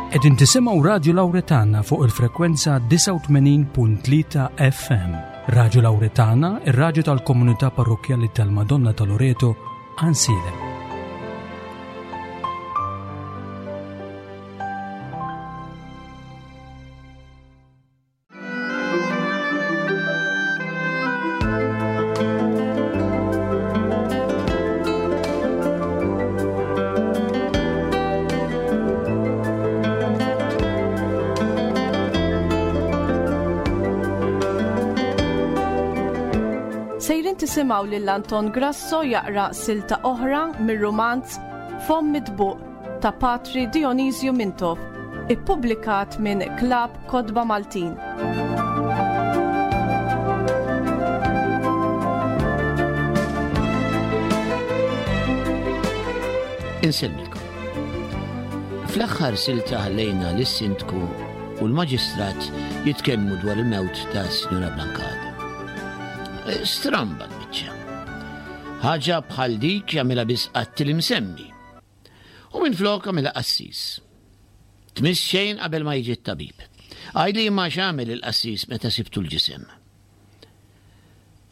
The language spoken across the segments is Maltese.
Qegħdin tisimgħu Radju Lawretana fuq il-frekwenza 89.3 FM. Radju Lawretana, ir-radju tal-komunità parrokkjali tal-Madonna ta' Loreto, Ansilem. Sejrin tisimgħu lil Anton Grasso jaqra silta oħra mir-rumanz Fomm Mitbuq ta' Patri Dionisju Mintoff, ippubblikat minn Klabb Kotba Maltin. Insellmilkom. Fl-aħħar silta ħallejna lis-sindku u l-maġistrat jitkellmu dwar il-mewt ta' Sinjura Blancada. Stramba l-biċċa. Ħaġa bħal dik jagħmilha biss qattil imsemmi. U minflok għamilha qassis. Tmiss xejn qabel ma jiġi t-tabib. Għidli imma x'għamel il-qassis meta sibtu l-ġisem.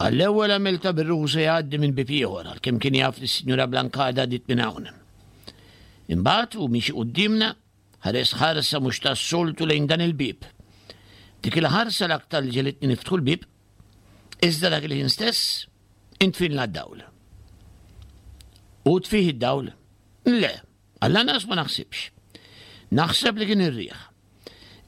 Għall-ewwel għamilta bir-ruħu se jgħaddi minn bieb ieħor għalkemm kien jaf li s-Sinjura Blancada għaddiet minn hawn. Imbagħad hu miexi quddiemna ħares ħarsa mhux tas-soltu lejn dan il-bieb. Dik il-ħarsa l-aktar li ġelitni niftħu l-bieb, iżda dak il-ħin stess intfinla d-dawl. U tfih id-dawl? Le, għall-anqas ma naħsibx. Naħseb li kien ir-riħ.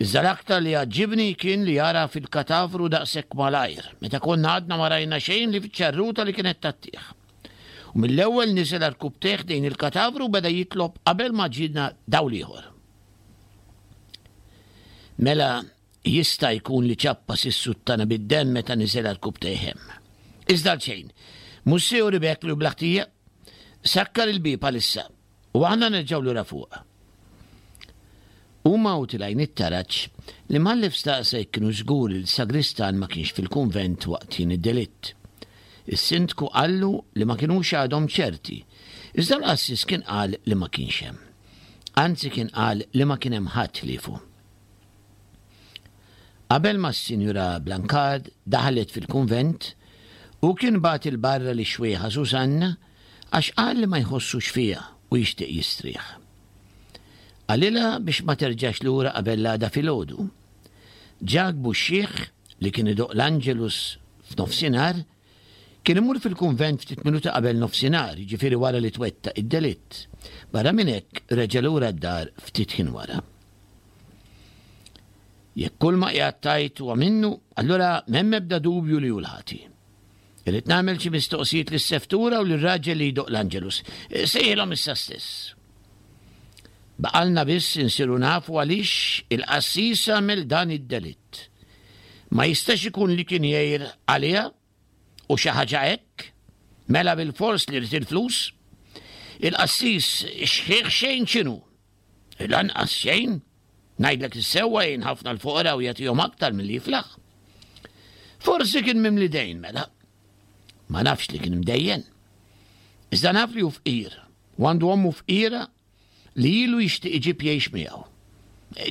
Iżda l-aktar li għaġġibni kien li jara fil-katavru daqshekk malajr, meta konna għadna ma rajna xejn li fiċ-ċarruta li kienet tattih. U mill-ewwel niżel għarkupptejh dejn il-katavru u beda jitlob qabel ma ġiena dawl ieħor. Mela Jista' jkun li ċappas is-suttana bid-demm meta niżel għarkupptejh hemm. Iżda għalxejn. Mhux se juri b'hekk li hu bla ħtija? Sakkar il-bieb għalissa, u aħna nerġgħu lura fuq. Huma u tilgħin it-taraġ, l-imħallef staqsa jekk kienux żguri li s-sagristan ma kienx fil-kunvent waqt ħin id-delitt. Is-sindku qallu li ma kinux għadhom ċerti, iżda l-qassis kien qal li ma kienx hemm. Anzi kien qal li ma kien hemm ħadd ħliefu. Qabel ma s-Sinjura Blancard daħlet fil-kunvent, hu kien bagħat 'il barra lix-xwejħa Susanna għax qal li ma jħossux fiha u jixtieq jistrieħ. Qalilha biex ma terġax lura qabel l-għada filgħodu. Ġakbu x-xiħ, li kien idoqq l-Angelus f'nofsinhar, kien imur fil-kunvent ftit minuti qabel nofsinhar, jiġifieri wara li twettaq id-delitt. Barra minn hekk, reġa' lura d-dar ftit ħin wara. Jekk kull ma qiegħed tgħid huwa minnu, allura m'hemm ebda dubju li hu l-ħati. Irrid nagħmel xi mistoqsijiet lis-seftura u lir-raġel li jdoqq l-Angelus. Sejħilhom issa stess. Baqalna biss insiru nafu għaliex il-qassis għamel dan id-delitt. Ma jistax ikun li kien jgħir għaliha u xi ħaġa hekk? Mela bilfors li ried il-flus? Il-qassis xħiħ xejn x'inhu? Lanqas xejn. Ngħidlek is-sewwa jgħin ħafna l-foqra u jagħtihom aktar milli jiflaħ. Forsi kien mimli dejn mela. Ma nafx li kien imdejjen. Iżda naf li hu fqir u għandu ommu fqira li ilu jixtieq iġib jgħix miegħu.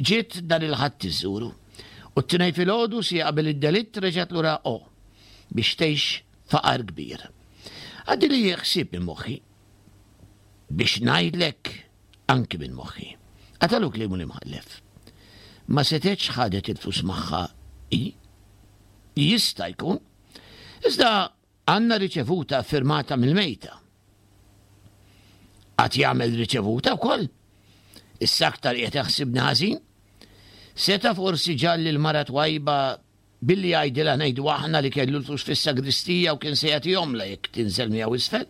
Ġiet dan il-Ħadd iżżuru u t-Tnejn filgħodu siegħa qabel id-delitt reġgħet lura O biex tgħix faqar kbir. Għaddili ħsieb minn moħħi. Biex ngħidlek anki minn moħħi. Qatalu kliemu l-imħallef. Ma setgħetx ħadet il-flus magħha hi? Jista' jkun. Iżda għandna riċevuta ffirmata mill-mejta. Għad jagħmel riċevuta wkoll? Issa aktar qiegħed jaħsibni ħażin? Seta' forsi ġalli l-mara twajba Billi jgħidilha ngħidu aħna li kellu l-flus fis-sagristija u kien se jagħtihomlha jekk tinżel miegħu isfel.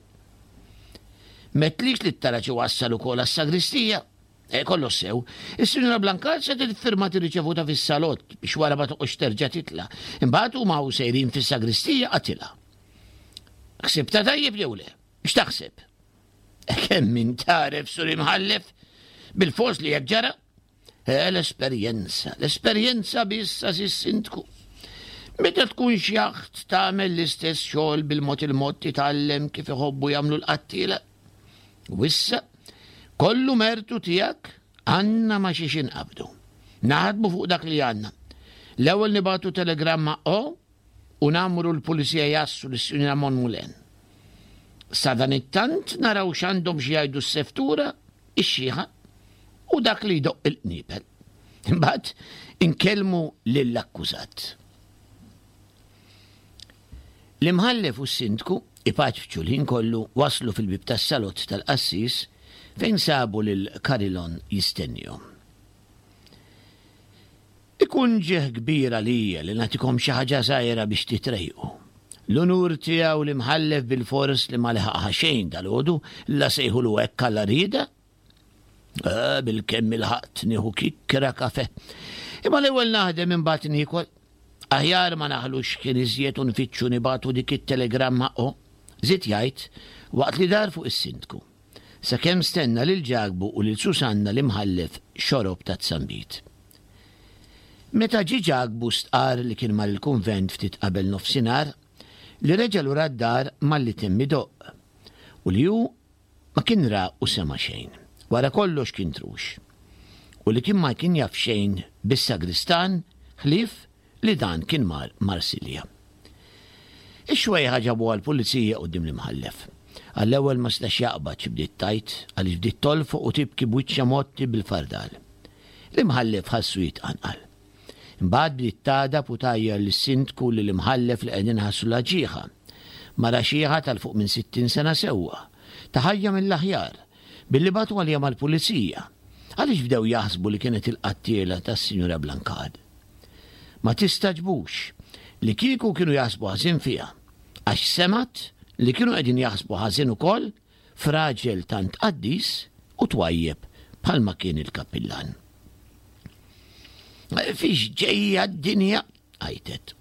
M'għedtlix li t-taraġ iwassal ukoll għas-sagristija. Eh, kollox sew. Is-Sinjura Blancard se tiffirma tirriċevuta fis-salott biex wara ma toqgħodx terġa' titla'. Imbagħad huma u sejrin fis-sagristija qatilha. Ħsibtha tajjeb jew le? X'taħseb? Kemm min tagħref sur imħallef? Bil-fors li hekk ġara? Eh, l-esperjenza, l-esperjenza biss għażiż sindku. Meta tkun xjaħt tagħmel l-istess xogħol bil-mod il-mod titgħallem kif iħobbu jagħmlu l-qattiela. U issa, kollu mertu tiegħek. Għandna ma xiex inqabdu. Naħdmu fuq dak li għandna. L-ewwel nibagħtu telegramma O u nagħmru l-pulizija jassu lis-Sinjura Monmulen. Sadanittant naraw x'għandhom xi jgħidu s-seftura, ix-xiħa u dak li jdoqq il-qniepel. Imbagħad inkellmu lill-akkużat. L-imħallef u s-sindku, ipaċpċu l-ħin kollu, waslu fil-bieb tas-salott tal-qassis fejn sabu lil Carilon jistennihom. Ikun ġieħ kbir għalija li nagħtikom xi ħaġa żgħira biex titrejqu. L-unur tiegħu l-imħallef bilfors li ma leħaqha xejn dalgħodu, la sejħulu hekk alla rieda. Eh, bil-kemm ilħaqt nieħu kikkra kafe. Imma l-ewwel naħdem imbagħad niekol. Aħjar ma naħlux kien iżjed u nfittxu nibatu dik it-telegramma o, żied jgħid waqt li dar fuq is-sindku. Sakemm stenna lil Ġakbu u lil Susanna l-imħallef xorob ta' tsambit. Meta ġie Ġakbu stqarr li kien mar il-kunvent ftit qabel nofsinhar, li reġa' lura d-dar malli temm idoqq, u li hu Ma kien ra u sema' xejn. Wara kollox kien trux. U li kien ma kien jaf xejn bis-sagristan ħlief li dan kien mar Marsilja. Ix-xwejħa ġabuha l-pulizija quddiem l-imħallef. Għall-ewwel ma setax jaqbad xi bdiet tgħid għaliex bdiet tolfoq u tibki b'wiċċha mgħotti bil-fardal. L-imħallef ħassu jitqanqal. Imbagħad bdiet tagħdab u tgħajjar lis-sindku u lill-imħallef li qegħdin iħassu l-ġieħa. Mara xiħa ta' 'l fuq minn 60 sena sewwa, ta' ħajja mill-aħjar, billi bagħtu għaliha mal-pulizija. Għaliex bdew jaħsbu li kienet il-qattiela tas-Sinjura Blancard? Ma tistagħġbux li kieku kienu jaħsbu ħażin fiha, għax semgħet li kienu qegħdin jaħsbu ħażin ukoll f'raġel tant qaddis u twajjeb bħalma kien il-kappillan. Fiex ġejja d-dinja, għajtet.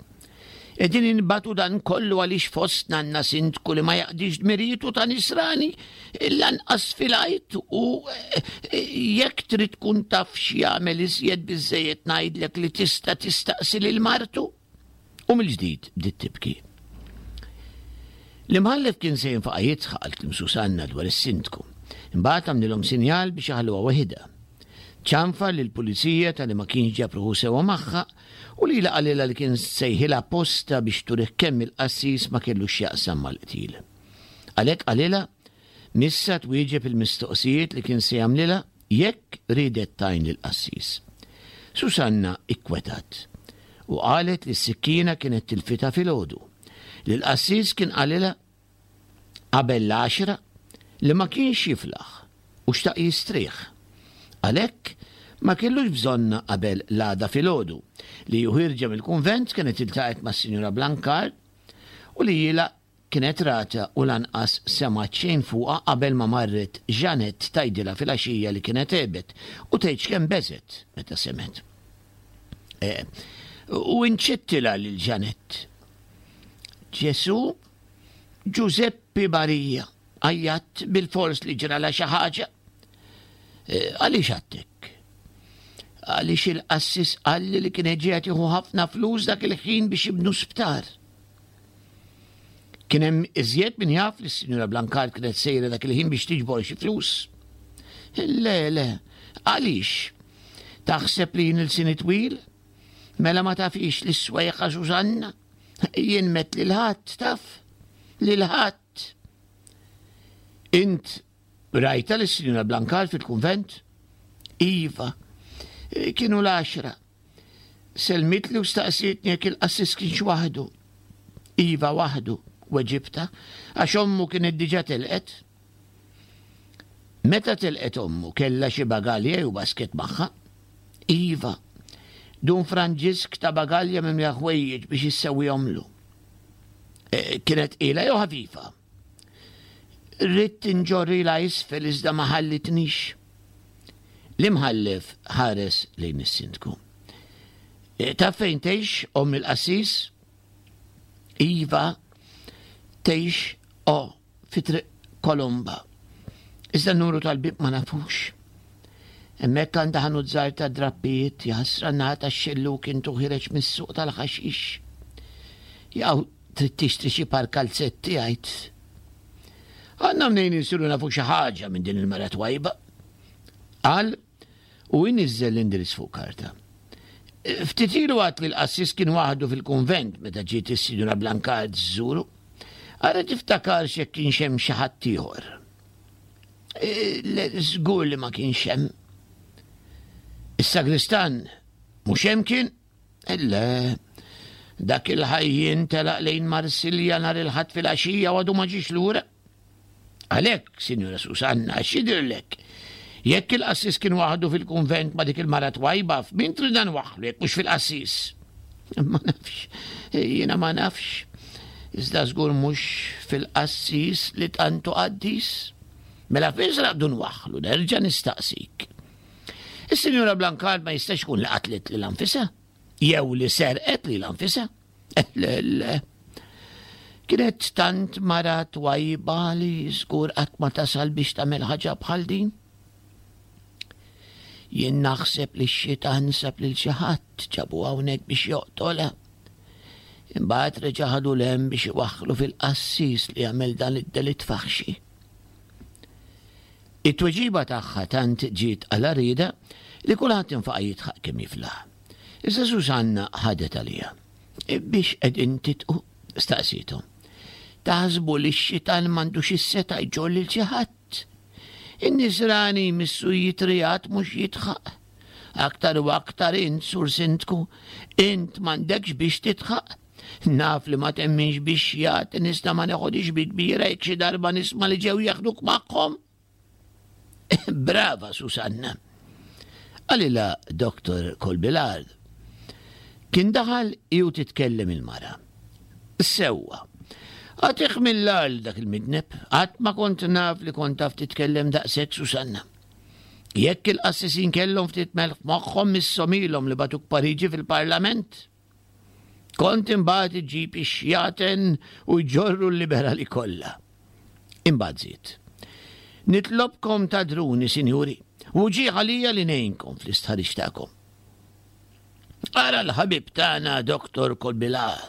Qegħdin inbatu dan kollu għaliex fostna għandna sindku li ma jaqdix dmirijietu ta' nisrani lanqas fil-għid u eh, jekk trid tkun taf x'jagħmel iżjed biżejjed ngħidlek li tista' tistaqsi lil martu. U mill-ġdid bdiet tibki. L-imħallef kien se jinfaqa' jidħaq għal kliem Susanna dwar is-sindku. Imbagħad għamlilhom sinjal biex iħalluha waħidha. Ċanfar lill-pulizija talli ma kienx ġab ruħu sewwa magħha u lilha qalilha li kien sejħilha apposta biex turih kemm il-qassis ma kellux x'jaqsam mal-qtil. Għalhekk qalilha missha twieġeb il-mistoqsijiet li kien se jagħmlilha jekk riedet tgħin lill-qassis. Susanna ikkwetat u qalet li s-sikkina kienet tilfitha filgħodu, li l-qassis kien qalilha qabel l-għaxra li ma kienx jiflaħ u xtaq jistrieħ. Għalhekk ma kellux bżonnha qabel l-għada filgħodu, li hi ħierġa mill-kunvent kienet iltaqgħet mas-Sinjura Blancard u li hi la kienet ratha u lanqas semgħet xejn fuqha qabel ma marret Jeanette tgħidilha filgħaxija li kienet għebet u tgħidx kemm beżgħet meta semgħet. Eh, u inċittilha lil Jeanette. Ġesu Ġużeppi Marija, għajjatt bilfors li ġralha xi ħaġa. Eh, għaliex għattek? Għaliex il-qassis qalli li kien qiegħed jieħu ħafna flus dak il-ħin biex jibnu sptar. Kien hemm iżjed min jaf li s-Sinjura Blancard kienet sejra dak il-ħin biex tiġbor xi flus. Le, le, għaliex? Taħseb li jien il-sini twil? Mela ma tafix li s-swejħa Susanna? Jien met lil ħadd, taf? Lil ħadd. Int rajta lis sinjura Blancard fil-kunvent? Iva, kienu l-għaxra. Selmitli u staqsietni jekk il-qassis kienx waħdu. Iva waħdu, weġibta, għax ommu kienet diġà telqet. Meta telqet ommu kellha xi bagalja jew basket magħha? Iva. Dun Franġisk ta bagalja mimlija ħwejjeġ biex issewwihomlu. E, kienet tqila jew ħafifa? Ridt inġorrilha isfel iżda ma ħallitnix. L-imħallef ħares lejn is-sindku. E, taf fejn tgħix omm il-qassis? Iva, tgħix o fi Triq Kolomba. Iżda n-numru tal-bieb ma nafux. Hemmhekk għandha ħanut żgħir ta' drappijiet, jaħasra n-naħa tax-xellug intu ħireġ mis-suq tal-ħaxix. Jaw trid tixtri xi par kalzetti għid. Għandna mnejn insiru nafu xi ħaġa minn din il-mara twajba. Qal. U iniżżel l-indirizz fuq karta. Ftit ilu għat li l-qassis kien waħdu fil-kunvent meta ġiet is-Sinjura Blancard żżuru. Ara tiftakarx jekk kienx hemm xi ħadd ieħor. Le, żgur li ma kienx hemm. Is-sagristan mhux hemm kien? Le, dak il-ħajjien telaq lejn Marsilja nhar il-Ħadd filgħaxija u għadu ma ġiex lura. Għalhekk, Sinjura Susanna, x'jidhirlek? Jekk il-qassis kien waħdu fil-kunvent ma' dik il-mara twajba, f'min tridna nwaħħlu jekk mhux fil-qassis? Ma nafx, jiena ma nafx. Iżda żgur mhux fil-qassis li tant hu qaddis. Mela fejn se naqbdu nwaħħlu, nerġa' nistaqsik. Is-Sinjura Blancard ma jistax ikun li qatlet lilha nfisha, jew li serqet lilha nfisha. Le, le. Kienet tant mara twajba li żgur qatt ma tasal biex tagħmel ħaġa bħal din. Jien naħseb li x-xitan sab lil xi ħadd ġabu hawnhekk biex joqtolha. Imbagħad reġa' ħadu l-hemm biex iwaħħlu fil-qassis li għamel dan id-delitt faħxi. It-tweġiba tagħha tant ġiet għal għarrieda li kulħadd infaqa' jidħaq kemm jiflaħ. Iżda Susanna ħadet għaliha. Biex qegħdin titqu? staqsiethom. Taħsbu li x-xitan m'għandux is-setgħa jġorr lil xi ħadd? In-nisrani jmissu jitrijat mhux jidħaq. Aktar u aktar int, Sur Sindku, int m'għandekx biex tidħaq. Naf li ma temminx biex jagħti nista' ma neħodix bi kbira jekk xi darba nisma' li ġew jaħduk magħhom. Brava, Susanna. Qalilha Dr. Colbilard. Kien daħal ju titkellem il-mara. Sewwa. Għatih mill-għal dak il-midneb, qatt ma kont naf li kont taf titkellem daqshekk Susanna. Jekk il-qassisin kellhom ftit melħ f'moħħhom misshom ilhom li batuk Pariġi fil-Parlament. Kont imbagħad iġġib ix-xjaten u jġorru l-liberali kollha. Imbagħad żied. Nitlobkom tagħdruni, sinjuri, u ġieħ għalija li ngħinkom fl-istħarriġ tagħkom. Ara l-ħabib tagħna Dr. Kolbilar.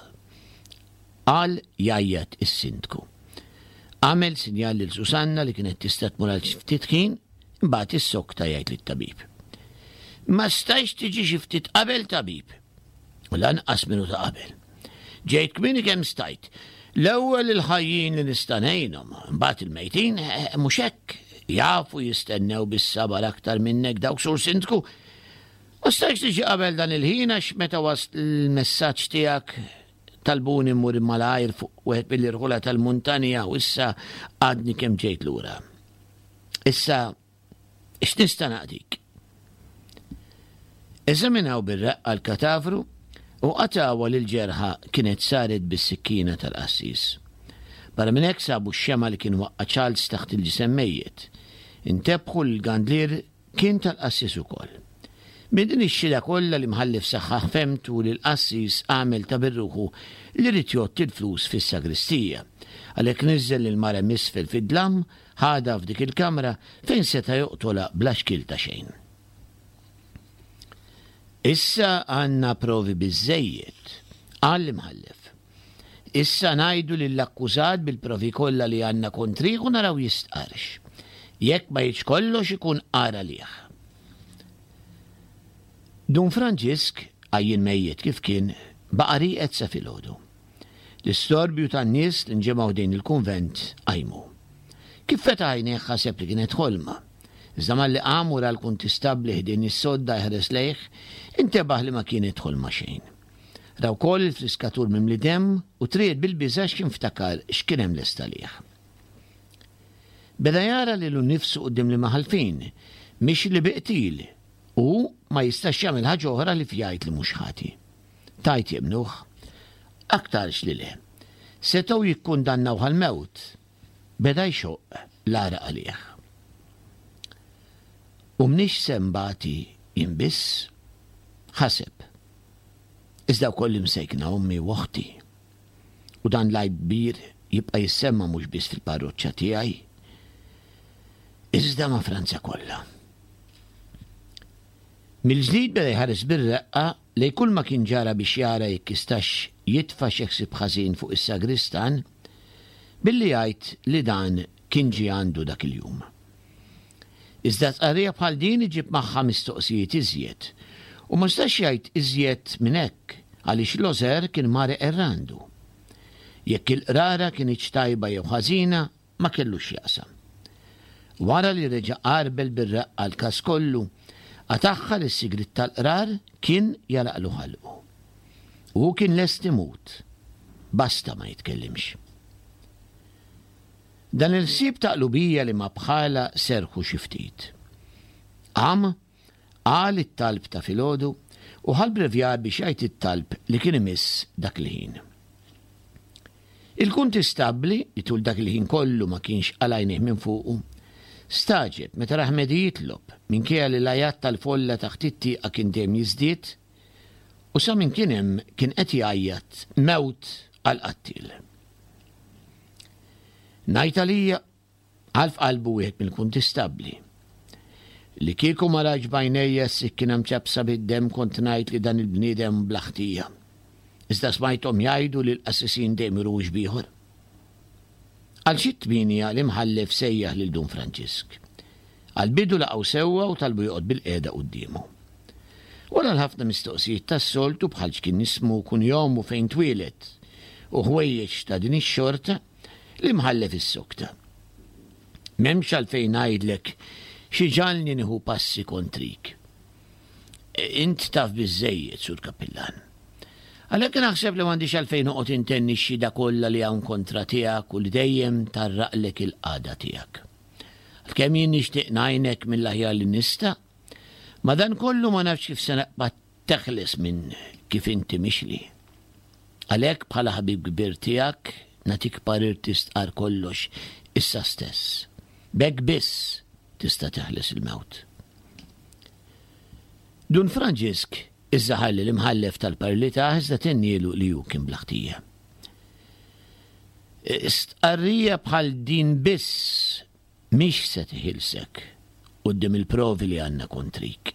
Qal jgħajjat is-sindku. Għamel sinjal lil Susanna li kienet tista' tmur għal ftit ħin, imbagħad issokta jgħid lit-tabib. Ma stajx tiġi xi ftit qabel tabib. U lanqas minuta qabel. Ġejt kmieni kemm stajt. L-ewwel il-ħajjin li nista' ngħinhom, imbagħad il-mejtin eh, mhux hekk jafu jistennew bis-sabar aktar minnek dawk sur sindku. Ma stajx tiġi qabel dan il-ħin għax meta wasl il-messaġġ tiegħek talbuni mmur malajr fuq wieħed mill-irħula tal-muntanja u issa għadni kemm ġejt lura. Issa X'nista' naqdik? Eżaminaw bir-reqqa l-katavru u qatgħuha li l-ġerħa kienet saret bis-sikkina tal-qassis. Barra minn hekk sabu x-xemgħa li kien waqqa' Charles taħt il-ġisem mejjet. Intebħu li l-gandlier kien tal-qassis ukoll. Minn din ix-xhieda kollha l-imħallef saħħaħ fehmtu li l-qassis għamel ta' bir-ruħu li ried jgħodd il-flus fis-sagristija. Għalhekk niżżel lill-mara m'isfel fid-dlam Ħadha f'dik il-kamra fejn seta' joqtolha bla xkiel ta' xejn. Issa għandna provi biżżejjed, qal l-imħallef. Issa ngħidu lill-akkużat bil-provi kollha li għandna kontrih u naraw jistqarrx. Jekk ma jgħidx kollox ikun agħar għalih. Dun Franġisk, għajjien mejjet kif kien, baqa' rieqed sa filgħodu. L-istorbju tan-nies li nġemgħu ħdejn il-kunvent qajmu. Kif fetaħ għajnejh ħaseb li kienet ħolma. Iżda malli qam u ra l-kuntistabbli ħdejn is-sodda jħares lejh, intebaħ li ma kienet ħolma xejn. Ra wkoll il-friskatur mimli demm u triegħed bil-biża' x'kien ftakar x'kien hemm lest għalih. Beda jara lilu nnifsu quddiem l-imħallfin, mixli bi qtil, u hu ma jistax jagħmel ħaġa oħra ħlief jgħid li mhux ħati. Tgħid jemmnuh? Aktarx li le. Setgħu jikkundannawh għall-mewt. Beda jxoqq l-għaraq għalih. U mnix se nbati jien biss? Ħaseb. Iżda wkoll l-imsejkna ommi u oħti. U dan l-għajb kbir jibqa' jissemma mhux biss fil-parroċċa tiegħi, iżda ma' Franza kollha. Mill-ġdid beda jħares bir-reqqa lejn kulma kien ġara biex jara jekk jistax jitfa' xi ħsieb ħażin fuq is-sagristan billi jgħid li dan kien ġie għandu dak il-jum. Iżda tqarrija bħal din iġib magħha mistoqsijiet iżjed. U ma setax jgħid iżjed minn hekk għaliex Loser kien mar iqerr għandu. Jekk il-qrara kinitx tajba jew ħażina ma kellux x'jaqsam. Wara li reġa' għarbel bir-reqqa l-każ kollu, qatagħha li s-sigriet tal-qrar kien jagħlaqlu ħalqu. U hu kien lest imut, basta ma jitkellimx. Dan il-ħsieb ta' qlubija li ma bħalha serrħu xi ftit. Qam, qal it-talb ta' filgħodu u ħa l-brevjar biex jgħid it-talb li kien imiss dak il-ħin. Il-kuntistabbli, li tul dak il-ħin kollu ma kienx qala' għajnejh minn fuqu, stagħġeb meta rah Medi jitlob, minkejja li l-għajat tal-folla taħt it-tieqa kien dejjem jiżdied, u sa minn kien hemm kien qed jgħajjat mewt għall-qattiel. Ngħid għalija, qal f'qalbu wieħed mill-kuntistabbli. Li kieku ma rajtx b'għajnejja s-sikkina mċappsa bid-demm kont ngħid li dan il-bniedem bla ħtija. Iżda smajthom jgħidu li l-qassisin dejjem juru wiċċ b'ieħor. Għal xi t-tmienja l-imħallef sejjaħ lil Dun Franġisk. Għall-bidu laqgħu sewwa u talbu joqgħod bilqiegħda quddiemu. Wara l-ħafna mistoqsijiet tas-soltu bħal x'kien ismu, kunjomu, fejn twieled u ħwejjeġ ta' din ix-xorta, l-imħallef issokta. M'hemmx għalfejn ngħidlek xi ġagħalni nieħu passi kontrik. Int taf biżżejjed, Sur Kappillan. Għalhekk naħseb li m'għandix għalfejn noqgħod intenni x-xhieda kollha li hawn kontra tiegħek u li dejjem tgħarraqlek il-qagħda tiegħek. Għalkemm jien nixtieq ngħinek mill-aħjar li nista', madankollu ma nafx kif se naqbad teħles minn kif inti mixli. Għalhekk bħala ħabib kbir tiegħek nagħtik parir tistqarr kollox issa stess. B'hekk biss tista' teħles il-mewt. Dun Franġisk iżda ħalli l-imħallef tal-parir li tah iżda tennielu li hu kien bla ħtija. Stqarrija bħal din biss mhix se teħilsek quddiem il-provi li għandna kontrik.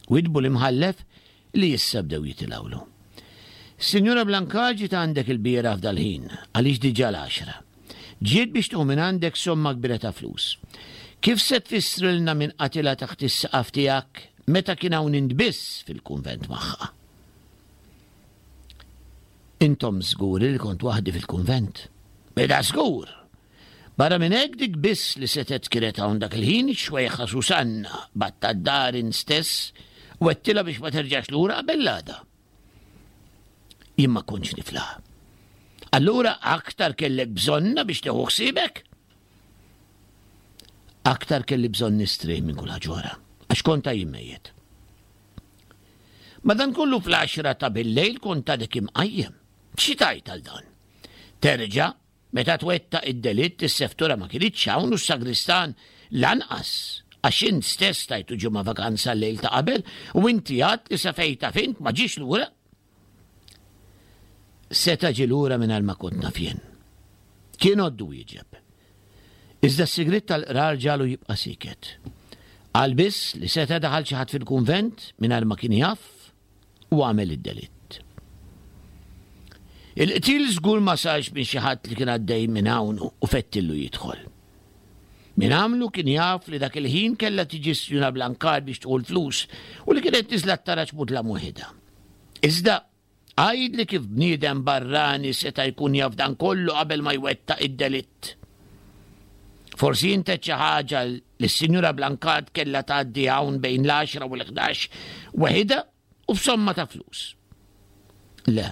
Widdbu l-imħallef li issa bdew jitilgħulu. Sinjura Blanca ġiet għandek ilbieraħ f'dal-ħin, għaliex diġà l-għaxra. Ġiet biex tieħu mingħandek somma kbira ta' flus. Kif se tfissrilna min qatilha taħt is-saqaf tiegħek meta kien hawn int biss fil-kunvent magħha? Intom żguri li kont waħdi fil-kunvent? Mela żgur! Barra minn hekk dik biss li setgħet kienet hawn dak il-ħin ix-xwejħa Susanna bgħattha d-dar int stess u għedtilha biex ma terġax lura qabel l-għada. Jien ma kontx niflaħ. Allura aktar kellek bżonna biex tieħu ħsiebek? Aktar kelli bżonn nistrieħ minn kull ħaġa oħra, għax kont għajjien mejjet. Madankollu fl-għaxra ta' billejl kont għadek imqajjem. Xi tgħid għal dan? Terġa', meta twettaq id-delitt is-seftura ma kinitx hawn u s-sagristan lanqas għax int stess tajtu ġimgħa vakanza l-lejl ta' qabel u inti għadt li sa fejn taf int ma ġiex lura. Seta' ġie lura mingħajr ma kont naf jien. Kien għoddu wieġeb. Iżda s-sigriet tal-qrar ġagħlu jibqa' sieket. Qal biss li seta' daħal xi ħadd fil-kunvent mingħajr ma kien jaf u għamel id-delitt. Il-qtil żgur ma sarx minn xi ħadd li kien għaddej minn hawn u fettillu jidħol. Min għamlu kien jaf li dak il-ħin kellha tiġi s-Sinjura Blancard biex tieħu l-flus u li kienet niżla t-taraġ mudlam waħidha. Iżda, għidli kif bniedem barrani seta' jkun jaf dan kollu qabel ma jwettaq id-delitt. Forsi int għedt xi ħaġa li s-Sinjura Blancard kellha tgħaddi hawn bejn l-għaxra u l-ħdax weħidha u b'somma ta' flus. Le,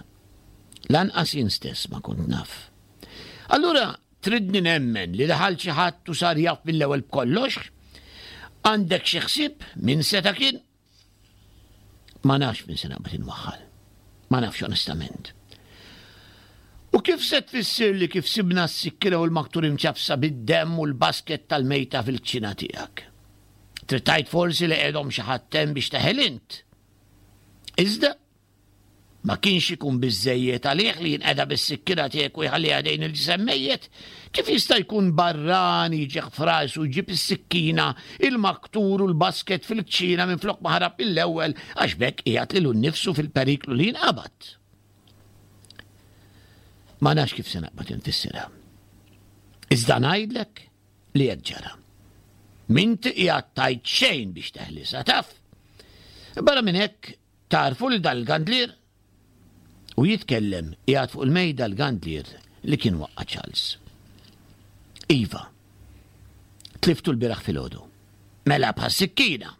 lanqas jien stess ma kont naf. Allura tridni nemmen li daħal xi ħadd u sar jaf mill-ewwel b'kollox? Għandek xi ħsieb min seta' kien? Ma nafx minn se naqbad inwaħħal. Ma nafx onestament. U kif se tfissir li kif sibna s-sikkina u l-maktur imċafsa bid-demm u l-basket tal-mejta fil-kċina tiegħek? Trid tgħid forsi li qegħdhom xi ħadd hemm biex teħel int. Iżda Ma kienx ikun biżżejjed għalih li jinqeda bis-sikkina tiegħek u jħalliha ħdejn il-ġisem mejjet? Kif jista' jkun barrani jiġih f'rasu jġib is-sikkina, il-maktur u l-basket fil-kċina minflok ma ħarab mill-ewwel għax b'hekk qiegħed lilu nnifsu fil-periklu li jinqabad? Ma nafx kif se naqbad infissirha. Iżda ngħidlek li hekk ġara. M'inti qiegħed tgħid xejn biex teħlisha, taf? Barra minn hekk, tagħrfu lil dan il-gandlier? U jitkellem qiegħed fuq il-mejda l-gandlier li kien waqqa' Charles. Iva. Tliftu l-bieraħ filgħodu. Mela bħas-sikkina.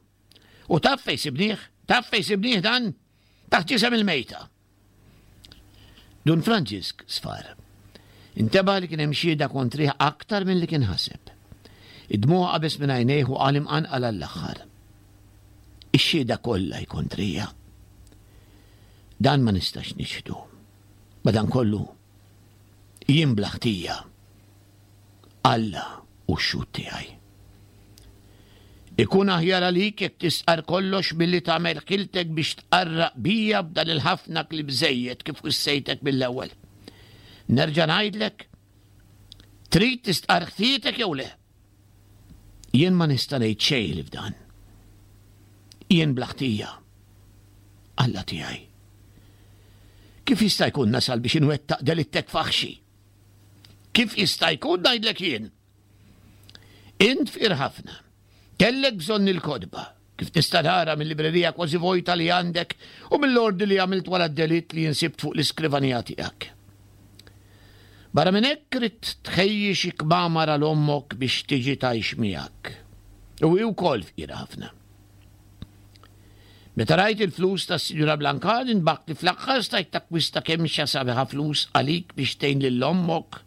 U taf fejn sibnieh? Taf fejn sibnieh dan? Taħt ġisem il-mejta. Dun Franġisk sfar. Intebaħ li kien hemm xhieda kontrih aktar milli kien ħaseb. Id-dmugħ qabeż minn għajnejh u qal imqanqal għall-aħħar. Ix-xhieda kollha hi kontrija. Dan ma nistax niċħdu. Madankollu, jien bla ħtija. Alla hu x-xhud tiegħi. Ikun aħjar għalik jekk tistqarr kollox milli tagħmel ħiltek biex tqarraq bija b'dan il-ħafna kliem żejjed kif wissejtek mill-ewwel. Nerġa' ngħidlek, trid tistqarr ħtietek jew le? Jien ma nista' ngħid xejn li f'dan. Jien bla ħtija. Alla tiegħi. Kif jista' jkun nasal biex inwettaq delittek faħxi? Kif jista' jkun ngħidlek jien? Int fqir ħafna. Kellek bżonn il-kotba, kif tista' tara mil-librerija kważi vojta li għandek u mill-ordni li għamilt wara d-delitt li insibt fuq l-iskrivanija tiegħek. Barra minn hekk ridt tħejji xi kmamar għal ommok biex tiġi tgħix miegħek. U hi wkoll fqira ħafna. Meta rajt il-flus tas-Sinjura Blancard inbaħt li fl-aħħar stajt takkwista kemxa sabiħa flus għalik biex tgħin lil ommok.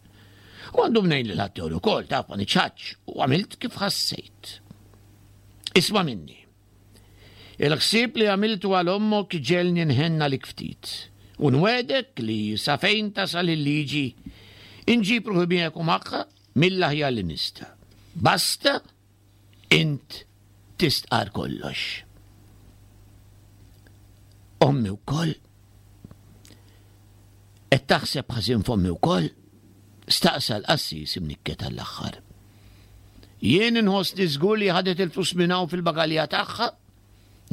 U għandu mnejn lil ħaddieħor ukoll, taf ma niċħadx, u għamilt kif ħassejt. Isma' minni. Il-ħsieb li għamiltu għal ommok ġegħelni nħenn għalik ftit. U nwegħdek li sa fejn tasal il-liġi inġib ruħi miegħek u magħha mill-aħjar li nista'. Basta Int tistqarr kollox. Ommi wkoll? Qed taħseb ħażin f'ommi wkoll? Staqsa l-qassis imnikket għall-aħħar. Jien inħossni żgur li ħadet il-flus minn hawn fil-bagalja tagħha,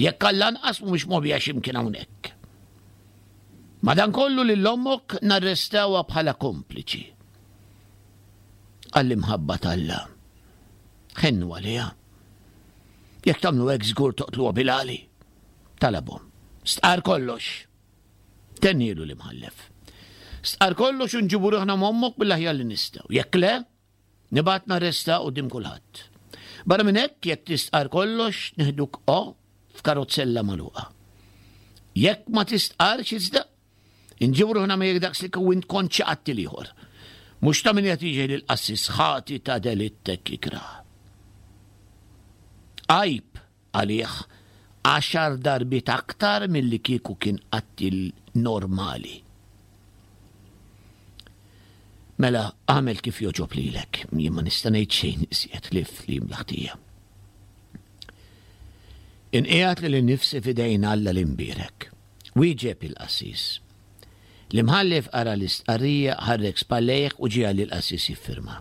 jekk għall-anqas mhumiex moħbija x'imkien hawnhekk. Madankollu lil ommok narrestawha bħala kompliċi. Għall-imħabba t'Alla. Ħennu għaliha. Jekk tagħmlu hekk żgur toqtluha bil-għali. Talabhom. Stqar kollox. Tennielu l-imħallef. Stqar kollox u nġibu ruħna m'ommok mill-aħjar li nistgħu. Jekk le, nibgħat narresta quddiem kulħadd. Barra minn hekk, jekk tistqar kollox, nieħduk o f'karozzella magħluqa. Jekk ma tistqarx iżda, Inġibu ruħna miegħek daqs li kieku int kont xi qattiel ieħor. Mhux ta' min qed jiġi lill-qassis ħati ta' delitt hekk ikrah. Għajb għalih għaxar darbiet aktar milli kieku kien qattiel normali. Mela agħmel kif jogħġob lilek, jien ma nista' ngħid xejn iżjed ħlief li jimla ħtija. Inqiegħed lili nnifsi f'idejn Alla l-Imbierek. Wieġeb il-qassis. L-imħallef qara l-istqarrija, ħarrek spallejh u ġiegħel lill-qassis jiffirma.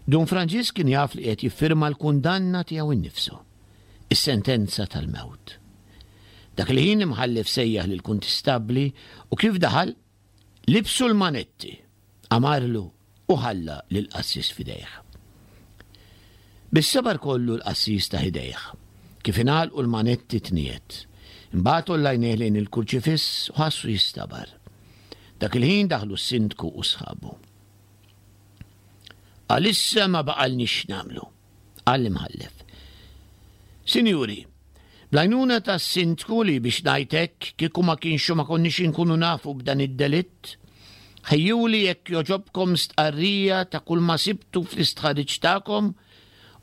Dun Franġisk kien jaf li qiegħed jiffirma l-kundanna tiegħu nnifsu, is-sentenza tal-mewt. Dak il-ħin l-imħallef sejjaħ lill-kuntistabbli u kif daħal, Libsu l-manetti, amarlu u ħalla lill-qassis f'idejh. Bis-sabar kollu l-qassis tah idejh. Kif ingħalqu l-manetti tniegħed. Imbagħad għolla għajnejh lejn il-kurċifiss u ħassu jistabar. Dak il-ħin daħlu s-sindku u sħabu. Għalissa ma baqalniex x'nagħmlu. Qal l-imħallef. Sinjuri, bl-għajnuna tas-sindku li biex ngħid hekk kieku ma kienx hu ma konniex inkunu nafu b'dan id-delitt, ħejjuli jekk jogħġobkom stqarrija ta' kull ma sibtu fl-istħarriġ tagħkom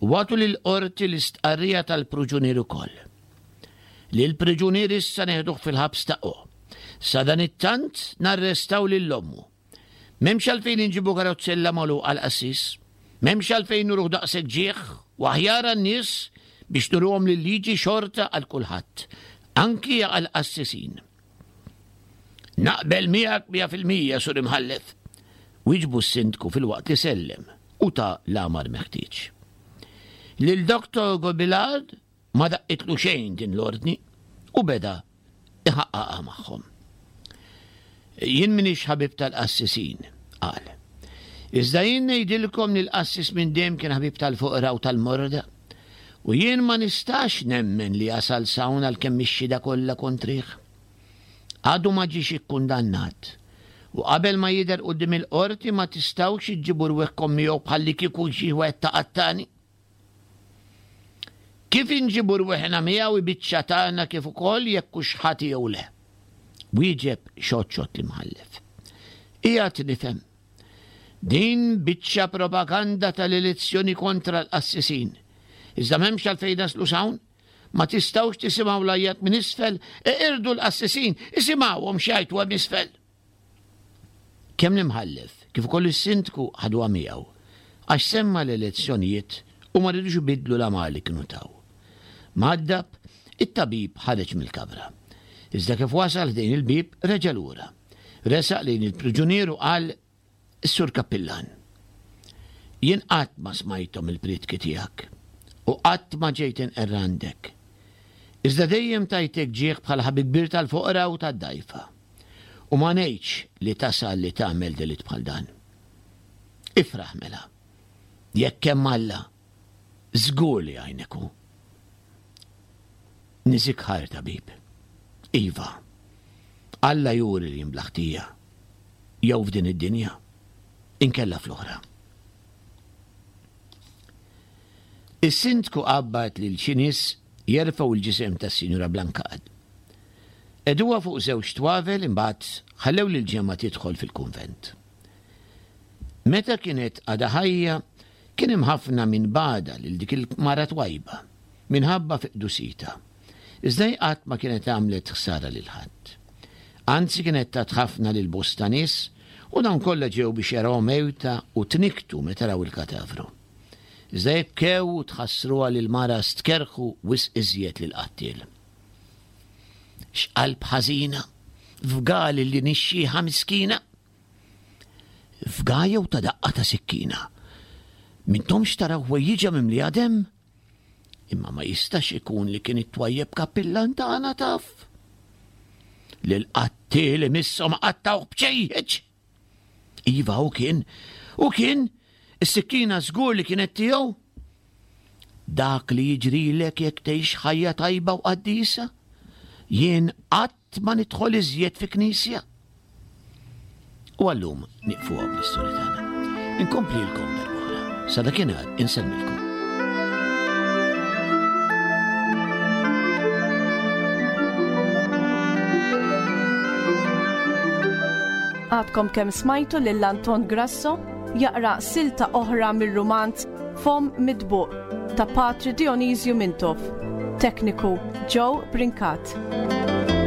u agħtu lill-qorti l-istqarrija tal-pruġunier ukoll. Lill-priġunier issa neħduh fil-ħabs ta' O. Sadanittant narrestaw lil ommu. M'hemmx għalfejn inġibu karozzella magħluqa għall-qassis. M'hemmx għalfejn nuruh daqshekk ġieħ u aħjar għan-nies biex nuruhom li l-liġi xorta għal kulħadd, anki għall-qassisin. Naqbel miegħek 100%, Sur Imħallef, wieġbu s-Sindku filwaqt li sellem u ta l-amar meħtieġ. Lil Dr. Gobilard Ma daqqitlu xejn din l-ordni u beda iħaqqaqha magħhom. Jien m'iniex ħabib tal-qassisin, qal. Iżda jien ngħidilkom li l-qassis minn dejjem kien ħabib tal-foqra u tal-morda. U jien ma nistax nemmen li jasal s'hawn għalkemm ix-xhieda kollha kontrih. Għadu ma ġiex ikkundannat. U qabel ma jidher quddiem il-qorti ma tistgħux iġġibu rwieħkom miegħu bħallikieku xi wieħed ta' qattani. Kif inġibu rwieħna miegħu hi biċċa tagħna kif ukoll jekk hux ħati jew le. Wieġeb xott xott l-imħallef. Qiegħed nifhem. Din biċċa propaganda tal-elezzjoni kontra l-qassisin. Iżda m'hemmx għalfejn naslu s'hawn. Ma tistgħux tisimgħu l-għajjat minn isfel, eqirdu l-qassisin, isimgħuhom x'jgħajtu hemm isfel. Kemm l-imħallef kif ukoll is-sindku ħaduha miegħu għax semma l-elezzjonijiet u ma ridux ibiddlu l-amar li kienu taw. Mgħaddab, it-tabib ħareġ mill-kamra. Iżda kif wasal ħdejn il-bieb reġa' lura. Resaq lejn il-priġunier u qal, Is-Sur Kappillan, jien qatt ma smajthom il-prietki tiegħek u qatt ma ġejt inqerr għandek. Iżda dejjem tajtek ġieħ bħala ħabib kbir tal-foqra u tad-dgħajfa. U ma ngħidx li tasal li tagħmel delitt bħal dan. Ifraħ mela. Jekk hemm Alla, żgur li jgħinek hu. Niżik ħajr tabib. Iva, Alla juri li jien bla ħtija, jew f'din id-dinja, inkella fl-oħra. Is-sindku qabbad lil xi nies jerfgħu l-ġisem tas-Sinjura Blancard. Qegħduha fuq żewġ twavel imbagħad ħallew lill-ġemgħa tidħol fil-kunvent. Meta kienet għadha ħajja, kien hemm ħafna min bagħadha lil dik il-mara twajba, minħabba fi qdusitha. Iżda hi qatt ma kienet għamlet ħsara lil ħadd. Anzi kienet tat ħafna lil bosta nies u dawn kollha ġew biex jarawha mejta u tnikktu meta raw il-katavru. Iżda jekk bkew u tħassruha lill-mara stkerrħu wisq iżjed lill-qattiel. X'qalb ħażina! Fga lil din ix-xiħa miskina! Fga jew ta daqqa ta' sikkina. M'intomx taraw ħwejjiġha mimlija demm? Imma ma jistax ikun li kien it-twajjeb kappillan tagħna taf. Li l-qattiel imisshom qattgħuh bċejjeċ. Iva u kien, u kien, is-sikkina żgur li kienet tiegħu. Dak li jiġrilek jekk tgħix ħajja tajba u qaddisa, jien qatt ma nidħol iżjed fi knisja. U għallum nieqfu hawn bl-istorja tagħna. Inkomplilkom darb'oħra. Sa dakinhar insellmilkom. Għadkom kemm smajtu lil Anton Grasso jaqra silta oħra mir-rumanz Fom Mitbuq ta' Patri Dionisju Mintoff. Tekniku Joe Brincat.